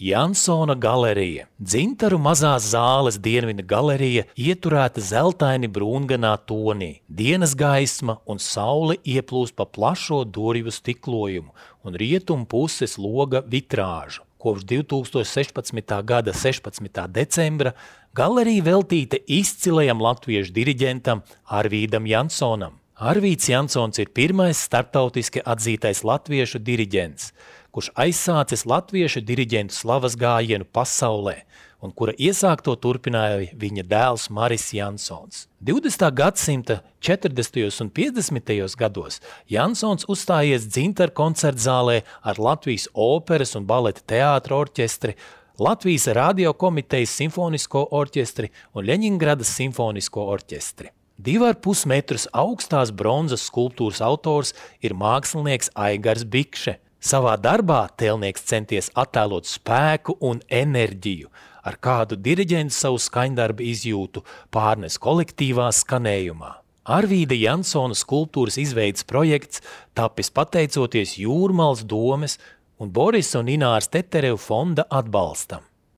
Jansona galerija. Dzintaru mazās zāles dienvida galerija ieturēta zeltaini brūnganā tonī. Dienas gaisma un saule ieplūst pa plašo durvju stiklojumu un rietumu puses loga vitrāžu. Kopš 2016. gada 16. decembra galerija veltīta izcilajam latviešu diriģentam Arvīdam Jansonam. Arvīds Jansons ir pirmais starptautiski atzītais latviešu diriģents, kurš aizsācis latviešu diriģentu slavas gājienu pasaulē un kura iesākto turpināja viņa dēls Maris Jansons. 20. gadsimta 40. un 50. gados Jansons uzstājies Dzintaru koncertzālē ar Latvijas operas un baleta teātra orķestri, Latvijas radiokomitejas simfonisko orķestri un Ļeņingradas simfonisko orķestri. 2,5 metrus augstās bronzas skulptūras autors ir mākslinieks Aigars Bikše. Savā darbā tēlnieks centies attēlot spēku un enerģiju, ar kādu diriģents savu skaņdarbu izjūtu pārnes kolektīvā skanējumā. Arvīda Jansona skulptūras izveides projekts tapis pateicoties Jūrmalas domes un Borisa un Ināras Teterevu fonda atbalstam.